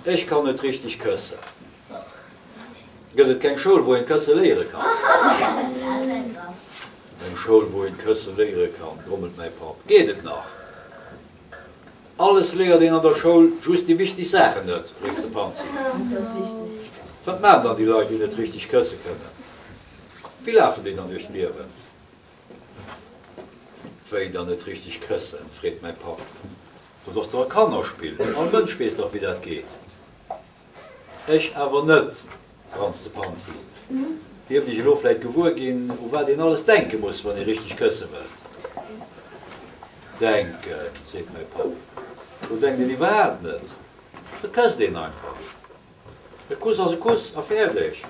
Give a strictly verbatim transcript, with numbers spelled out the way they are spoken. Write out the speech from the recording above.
Ech kann net richteg këssen. Gëtt et keng Schoul, wou een kësse léiere kann? Eng Schoul, wou een kësse léiere kann, grommelt mäi Papp. Geet et nach? Alles léiert een an der Schoul, just déi wichteg Saachen net, rifft de Panzi. Wat maachen dann déi Leit, déi net richteg kësse kënnen? Wéi lafen déi dann duerch d'Liewen? Wéi dann net richteg këssen? freet mäi Papp. Dat ass dach e Kannerspill, all Mënsch weess dach, wéi dat geet. Ech awer net, granzt de Panzi. Dierft ech elo vläit gewuer ginn, u wat een alles denke muss, wann ee richteg kësse wëllt? Denken, seet mäi Papp, do denkt een iwwerhaapt net. Et kësst een einfach. E Kuss ass e Kuss a fäerdeg.